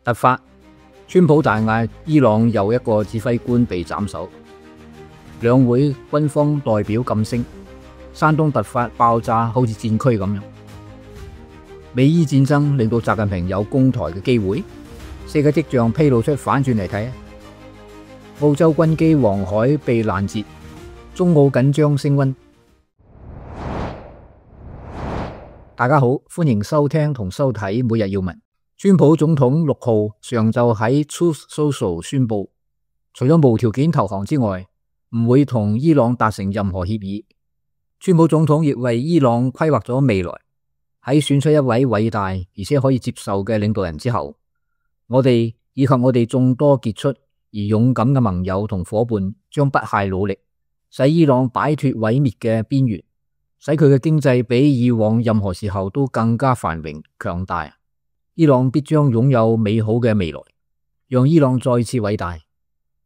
突發，川普大嗌伊朗又一個指揮官被斬首。兩會軍方代表噤聲，山東突發爆炸，好似戰區咁樣。美伊戰爭令到習近平有攻台嘅機會，四個跡象披露出反轉嚟睇。澳洲軍機黃海被攔截，中澳緊張升溫。大家好，歡迎收聽同收睇每日要聞。川普總統6號上晝喺 Truth Social 宣布，除咗無條件投降之外，唔會同伊朗達成任何協議。川普總統亦為伊朗規劃咗未來。喺選出一位偉大而且可以接受嘅領導人之後，我哋以及我哋眾多傑出而勇敢嘅盟友同夥伴，將不懈努力，使伊朗擺脫毀滅嘅邊緣，使佢嘅經濟比以往任何時候都更加繁榮強大。伊朗必將擁有美好嘅未來，讓伊朗再次偉大。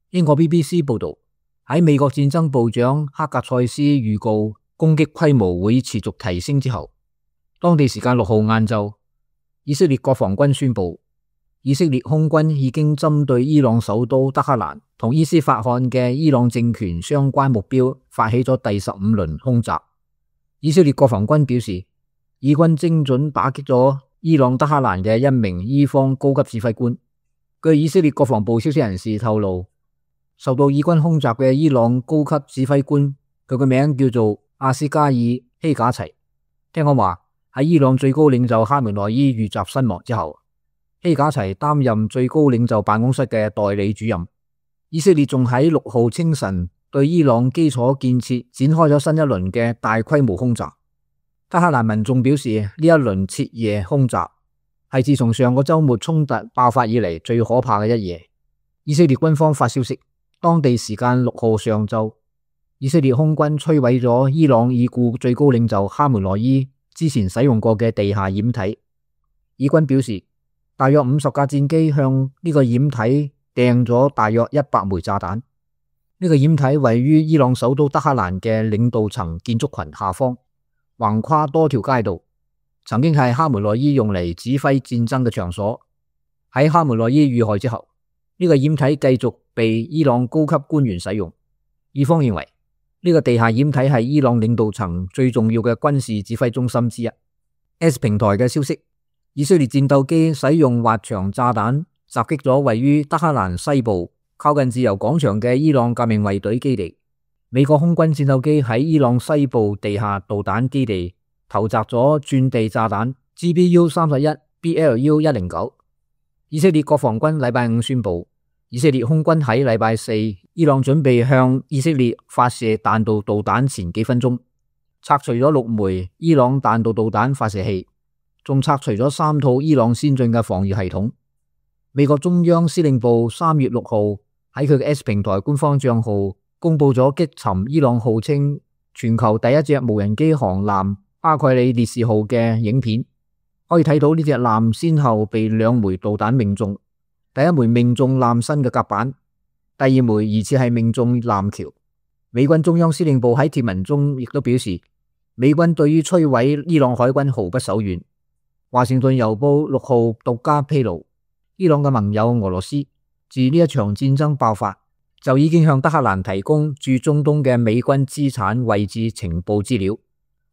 英國 BBC 報道，喺美國戰爭部長克格塞斯預告攻擊規模會持續提升之後，當地時間6號晏晝，以色列國防軍宣布，以色列空軍已經針對伊朗首都德黑蘭同伊斯法罕嘅伊朗政權相關目標發起咗第15輪空襲。以色列國防軍表示，以軍精準打擊咗伊朗德黑蘭嘅一名伊方高級指揮官。據以色列國防部消息人士透露，受到以軍空襲嘅伊朗高級指揮官，佢個名叫做阿斯加爾希賈齊。聽講話喺伊朗最高領袖哈梅內伊遇襲身亡之後，希賈齊擔任最高領袖辦公室嘅代理主任。以色列仲喺6號清晨對伊朗基礎建設展開咗新一輪嘅大規模空襲。德黑蘭民眾表示，呢一輪徹夜空襲係自從上個週末衝突爆發以嚟最可怕嘅一夜。以色列軍方發消息，當地時間6號上晝，以色列空軍摧毀咗伊朗已故最高領袖哈梅內伊之前使用過嘅地下掩體。以軍表示，大約50架戰機向呢個掩體掟咗大約100枚炸彈。呢個掩體位於伊朗首都德黑蘭嘅領導層建築群下方，橫跨多條街道，曾經係哈梅內伊用嚟指揮戰爭嘅場所。喺哈梅內伊遇害之後，呢個掩體繼續被伊朗高級官員使用。以方認為呢個地下掩體係伊朗領導層最重要嘅軍事指揮中心之一。S 平台嘅消息，以色列戰鬥機使用滑翔炸彈襲擊咗位於德黑蘭西部靠近自由廣場嘅伊朗革命衛隊基地。美國空軍戰鬥機喺伊朗西部地下導彈基地投擲咗鑽地炸彈 GBU-31BLU-109。以色列國防軍禮拜五宣布，以色列空軍喺禮拜四，伊朗準備向以色列發射彈道導彈前幾分鐘，拆除咗6枚伊朗彈道導彈發射器，仲拆除咗3套伊朗先進嘅防禦系統。美國中央司令部3月6號喺佢嘅 S 平台官方賬號公布咗擊沉伊朗號稱全球第一隻無人機航艦巴蓋里烈士號嘅影片，可以睇到呢隻艦先後被2枚導彈命中，第一枚命中艦身嘅甲板，第二枚疑似係命中艦橋。美軍中央司令部喺貼文中亦都表示，美軍對於摧毀伊朗海軍毫不手軟。華盛頓郵報6號獨家披露，伊朗嘅盟友俄羅斯自呢一場戰爭爆發就已經向德黑蘭提供駐中東嘅美軍資產位置情報資料，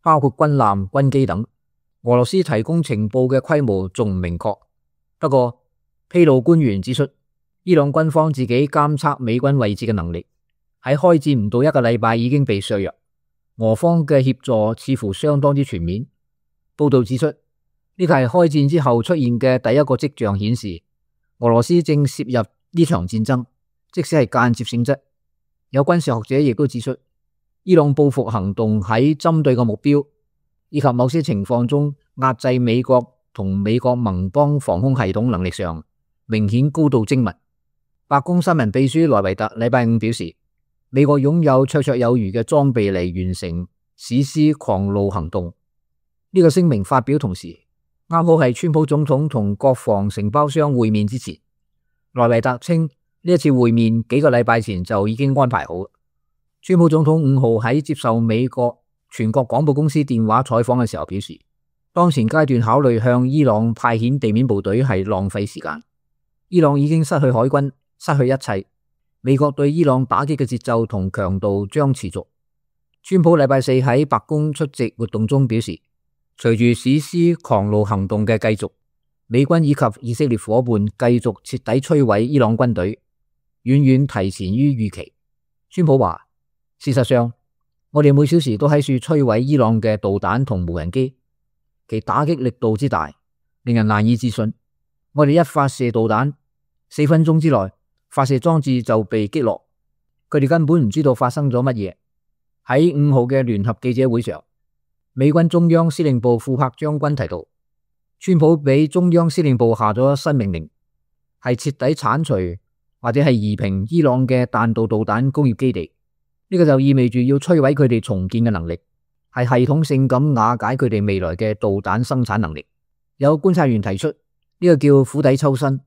包括軍艦、軍機等。俄羅斯提供情報嘅規模仲唔明確，不過披露官員指出，伊朗軍方自己監測美軍位置嘅能力喺開戰唔到1個禮拜已經被削弱，俄方嘅協助似乎相當之全面。報道指出，呢個係開戰之後出現嘅第一個跡象，顯示俄羅斯正涉入呢場戰爭，即使係間接性質。有軍事學者亦都指出，伊朗報復行動喺針對嘅目標以及某些情況中壓制美國同美國盟邦防空系統能力上明顯高度精密。白宮新聞秘書萊維特禮拜五表示，美國擁有綽綽有餘嘅裝備嚟完成史詩狂怒行動。呢個聲明發表同時，啱好係川普總統同國防承包商會面之前。萊維特稱，呢一次會面幾個禮拜前就已經安排好。川普總統5號喺接受美國全國廣播公司電話採訪嘅時候表示，當前階段考慮向伊朗派遣地面部隊係浪費時間。伊朗已經失去海軍，失去一切。美國對伊朗打擊嘅節奏同強度將持續。川普禮拜四喺白宮出席活動中表示，隨住史詩狂怒行動嘅繼續，美軍以及以色列夥伴繼續徹底摧毀伊朗軍隊，遠遠提前於預期。川普話，事實上，我哋每小時都喺處摧毀伊朗嘅導彈同無人機，其打擊力度之大，令人難以置信。我哋一發射導彈，4分鐘之內，發射裝置就被擊落，佢哋根本唔知道發生咗乜嘢。喺5號嘅聯合記者會上，美軍中央司令部庫克將軍提到，川普俾中央司令部下咗新命令，係徹底鏟除或者係夷平伊朗嘅彈道導彈工業基地。呢個就意味住要摧毀佢哋重建嘅能力，係系統性咁瓦解佢哋未來嘅導彈生產能力。有觀察員提出，呢個叫釜底抽薪，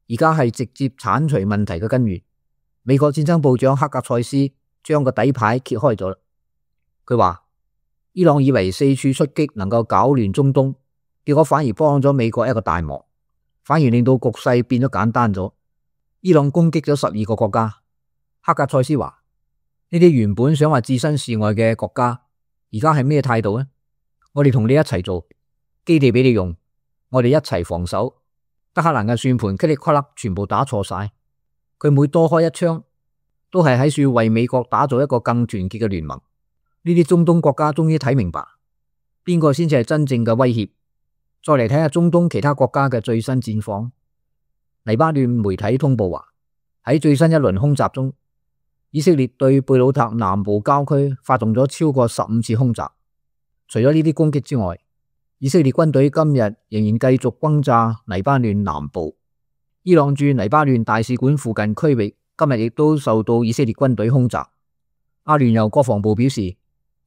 而家係直接鏟除問題嘅根源。美國戰爭部長克格塞斯將個底牌揭開咗。佢話，伊朗以為四處出擊能夠搞亂中東，結果反而幫咗美國一個大忙，反而令到局勢變咗簡單咗。伊朗攻擊咗12個國家。克格塞斯話，呢啲原本想話置身事外嘅國家，而家係咩態度呢？我哋同你一齊做，基地俾你用，我哋一齊防守。德黑蘭嘅算盤噼里啪啦全部打錯晒，佢每多開一槍，都係喺處為美國打造一個更團結嘅聯盟。呢啲中東國家終於睇明白，邊個先至係真正嘅威脅。再嚟睇下中東其他國家嘅最新戰況。黎巴嫩媒體通報話，喺最新一輪空襲中，以色列對貝魯特南部郊區發動咗超過15次空襲。除咗呢啲攻擊之外，以色列軍隊今日仍然繼續轟炸黎巴嫩南部。伊朗駐黎巴嫩大使館附近區域今日亦都受到以色列軍隊空襲。阿聯酋國防部表示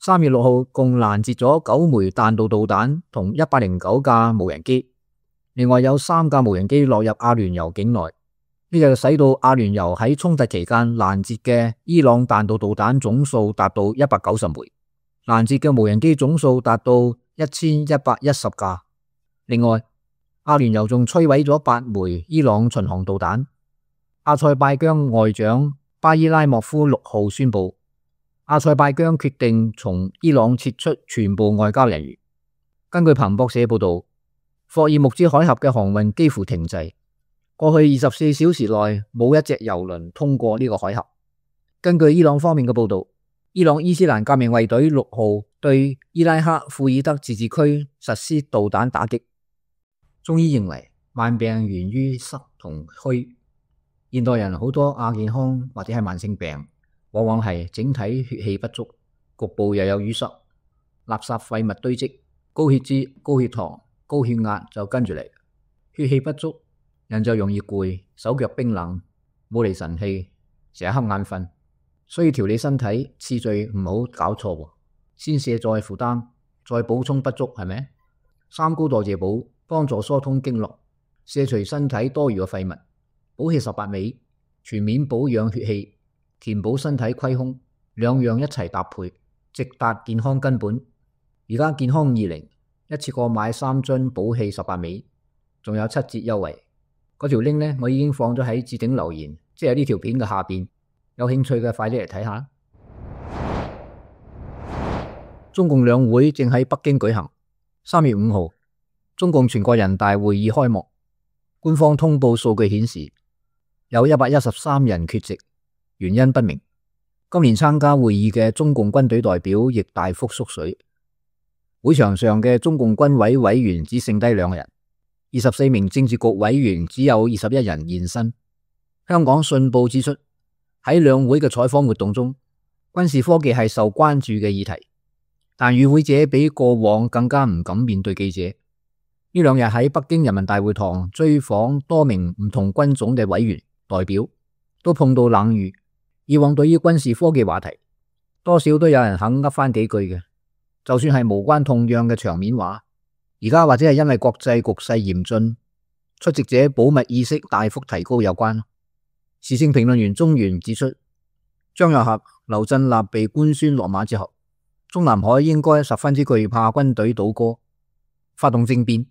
，3月6號共攔截咗9枚彈道導彈同109架無人機，另外有3架無人機落入阿聯酋境內。呢就使到阿聯酋喺衝突期間攔截嘅伊朗彈道導彈總數達到190枚，攔截嘅無人機總數達到1110架。另外，阿聯酋仲摧毀咗8枚伊朗巡航導彈。阿塞拜疆外長巴伊拉莫夫6號宣布，阿塞拜疆決定從伊朗撤出全部外交人員。根據彭博社報道，霍爾木茲海峽嘅航運幾乎停滯。過去24小時內冇一隻郵輪通過呢個海峽。根據伊朗方面嘅報道，伊朗伊斯蘭革命衛隊6號對伊拉克庫爾德自治區實施導彈打擊。中醫認為慢病源於濕同虛，現代人好多亞健康或者係慢性病，往往係整體血氣不足，局部又有淤塞，垃圾廢物堆積，高血脂、高血糖、高血壓就跟住嚟。血氣不足，人就容易攰，手腳冰冷，冇嚟神氣，成日瞌眼瞓。所以調理身體次序唔好搞錯，先卸再負擔，再補充不足，係咪？3高代謝補幫助疏通經絡，卸除身體多餘嘅廢物，補氣18味，全面保養血氣，填補身體虧空，兩樣一齊搭配，直達健康根本。而家健康20一次過買3樽補氣18味，仲有7折優惠。嗰條 link 呢，我已經放咗喺置頂留言，即係呢條片嘅下邊。有興趣嘅快啲嚟睇下。中共兩會正喺北京舉行。3月5號，中共全國人大會議開幕。官方通報數據顯示，有113人缺席，原因不明。今年參加會議嘅中共軍隊代表亦大幅縮水。會場上嘅中共軍委委員只剩低2人，24名政治局委員只有21人現身。香港信報指出，喺兩會嘅採訪活動中，軍事科技係受關注嘅議題，但與會者比過往更加唔敢面對記者。呢2日喺北京人民大會堂追訪多名唔同軍種嘅委員代表，都碰到冷遇。以往對於軍事科技話題，多少都有人肯噏翻幾句嘅，就算係無關痛癢嘅場面話，而家或者係因為國際局勢嚴峻，出席者保密意識大幅提高有關。時政評論員鍾原指出，張又俠、劉振立被官宣落馬之後，中南海應該十分之懼怕軍隊倒戈，發動政變。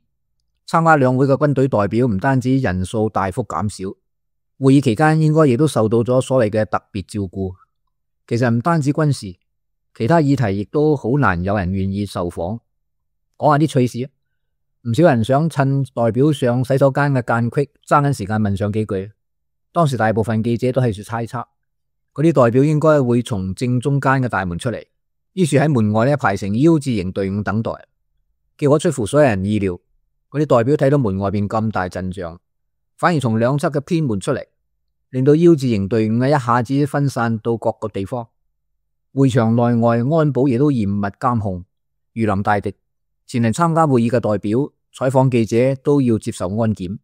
參加兩會嘅軍隊代表唔單止人數大幅減少，會議期間應該亦都受到咗所謂嘅特別照顧。其實唔單止軍事，其他議題亦都好難有人願意受訪。講下啲趣事啊，唔少人想趁代表上洗手間嘅間隙爭緊時間問上幾句。當時大部分記者都係猜測，嗰啲代表應該會從正中間嘅大門出嚟，於是喺門外排成 U 字形隊伍等待。結果出乎所有人意料，嗰啲代表睇到門外邊咁大陣仗，反而從兩側嘅偏門出嚟，令到 U 字形隊伍一下子分散到各個地方。會場內外安保亦都嚴密監控，如臨大敵。前嚟參加會議嘅代表、採訪記者都要接受安檢。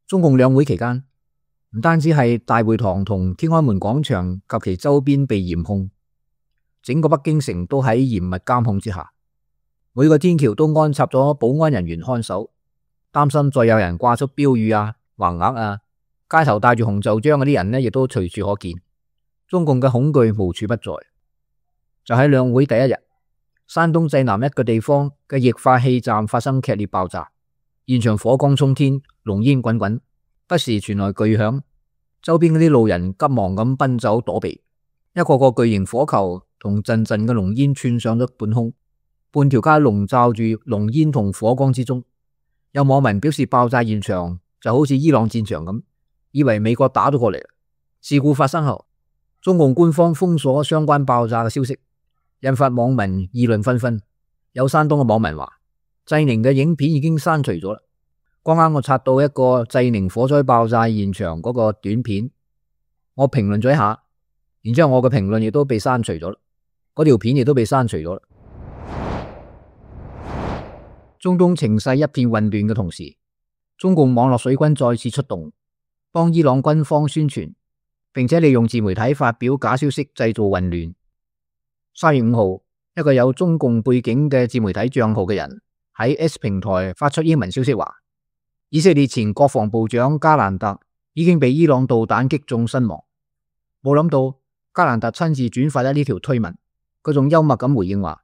中共兩會期間，唔單止係大會堂同天安門廣場及其周邊被嚴控，整個北京城都喺嚴密監控之下。每個天橋都安插咗保安人員看守，擔心再有人掛出標語啊、橫額啊，街頭戴住紅袖章嗰啲人呢，亦都隨處可見。中共嘅恐懼無處不在。就喺兩會第一日，山東濟南一個地方嘅液化氣站發生劇烈爆炸，現場火光衝天，濃煙滾滾，不時傳來巨響。周邊嗰啲路人急忙咁奔走躲避，一個個巨型火球同陣陣嘅濃煙竄上咗半空。半條街籠罩住濃煙同火光之中，有網民表示爆炸現場就好似伊朗戰場咁，以為美國打咗過嚟。事故發生後，中共官方封鎖相關爆炸嘅消息，引發網民議論紛紛。有山東嘅網民話，濟寧嘅影片已經刪除咗啦。剛啱我刷到一個濟寧火災爆炸現場嗰個短片，我評論咗一下，然之後我嘅評論亦都被刪除咗啦，嗰條片亦都被刪除咗啦。中東情勢一片混亂嘅同時，中共網絡水軍再次出動，幫伊朗軍方宣傳，並且利用自媒體發表假消息，製造混亂。3月5號，一個有中共背景嘅自媒體賬號嘅人喺 S 平台發出英文消息話，以色列前國防部長加蘭特已經被伊朗導彈擊中身亡。冇諗到加蘭特親自轉發咗呢條推文，佢仲幽默咁回應話，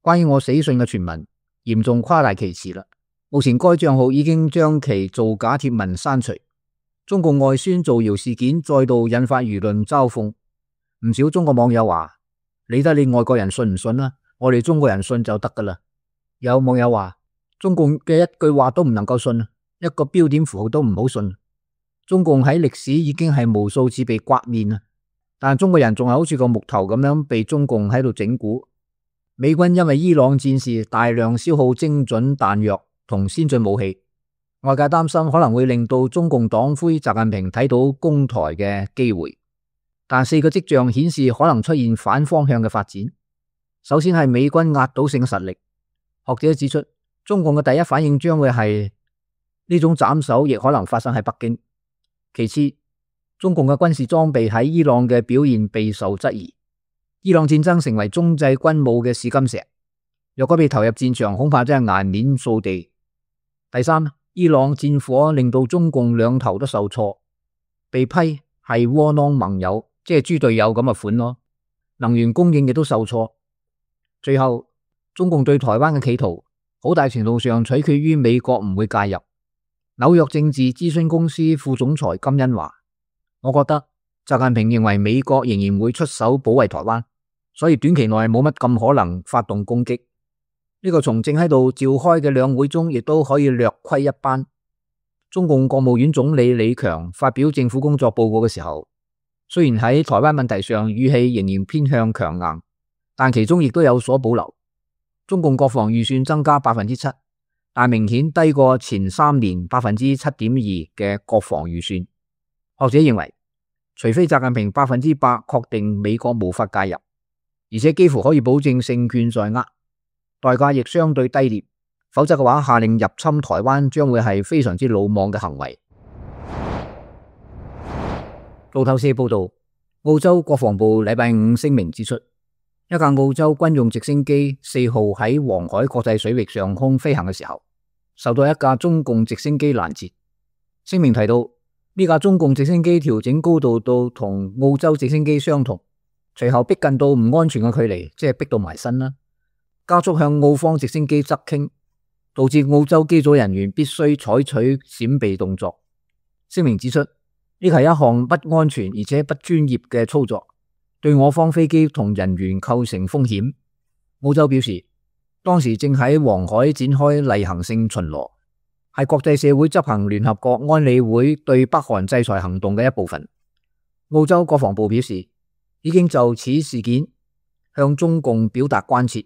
關於我死訊嘅傳聞嚴重誇大其詞啦。目前該賬號已經將其造假貼文刪除。中共外宣造謠事件再度引發輿論嘲諷，唔少中國網友話，理得你外國人信唔信啦，我哋中國人信就得噶啦。有網友話，中共嘅一句話都唔能夠信，一個標點符號都唔好信。中共喺歷史已經係無數次被刮面啦，但中國人仲係好似個木頭咁樣被中共喺度整蠱。美軍因為伊朗戰事大量消耗精準彈藥同先進武器，外界擔心可能會令到中共黨魁習近平睇到攻台嘅機會，但4個跡象顯示可能出現反方向嘅發展。首先係美軍壓倒性實力，學者指出，中共嘅第一反應將會係呢種斬首亦可能發生喺北京。其次，中共嘅軍事裝備喺伊朗嘅表現備受質疑。伊朗戰爭成為中製軍武嘅試金石，若果被投入戰場，恐怕真係顏面掃地。第三，伊朗戰火令到中共兩頭都受挫，被批係窩囊盟友，即係豬隊友咁嘅款咯。能源供應亦都受挫。最後，中共對台灣嘅企圖，好大程度上取決於美國唔會介入。紐約政治諮詢公司副總裁金恩話，我覺得習近平認為美國仍然會出手保衛台灣，所以短期內冇乜咁可能發動攻擊。呢個從正喺度召開嘅兩會中亦都可以略窺一斑。中共國務院總理李強發表政府工作報告嘅時候，雖然喺台灣問題上語氣仍然偏向強硬，但其中亦都有所保留。中共國防預算增加 7%， 但明顯低過前3年 7.2% 嘅國防預算。學者認為，除非習近平100%確定美國無法介入，而且幾乎可以保證勝券在握，代價亦相對低廉，否則嘅話，下令入侵台灣將會係非常之魯莽嘅行為。路透社報道，澳洲國防部禮拜5聲明指出，一架澳洲軍用直升機4號喺黃海國際水域上空飛行嘅時候，受到一架中共直升機攔截。聲明提到，呢架中共直升機調整高度到同澳洲直升機相同，隨後逼近到唔安全嘅距離，即係逼到埋身啦，加速向澳方直升機側傾。導致澳洲機組人員必須採取閃避動作。聲明指出，呢係一項不安全而且不專業嘅操作，對我方飛機同人員構成風險。澳洲表示，當時正喺黃海展開例行性巡邏，係國際社會執行聯合國安理會對北韓制裁行動嘅一部分。澳洲國防部表示，已經就此事件向中共表達關切。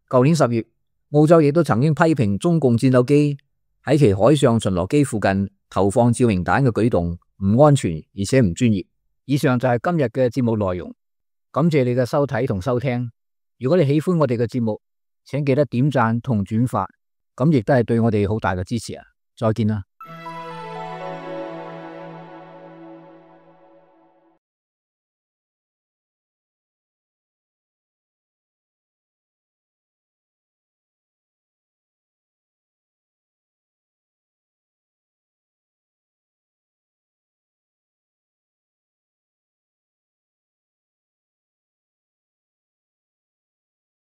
舊年10月，澳洲亦都曾經批評中共戰鬥機喺其海上巡邏機附近投放照明彈嘅舉動唔安全而且唔專業。以上就係今日嘅節目內容，感謝你嘅收睇同收聽。如果你喜歡我哋嘅節目，請記得點讚同轉發，咁亦都係對我哋好大嘅支持啊！再見啦。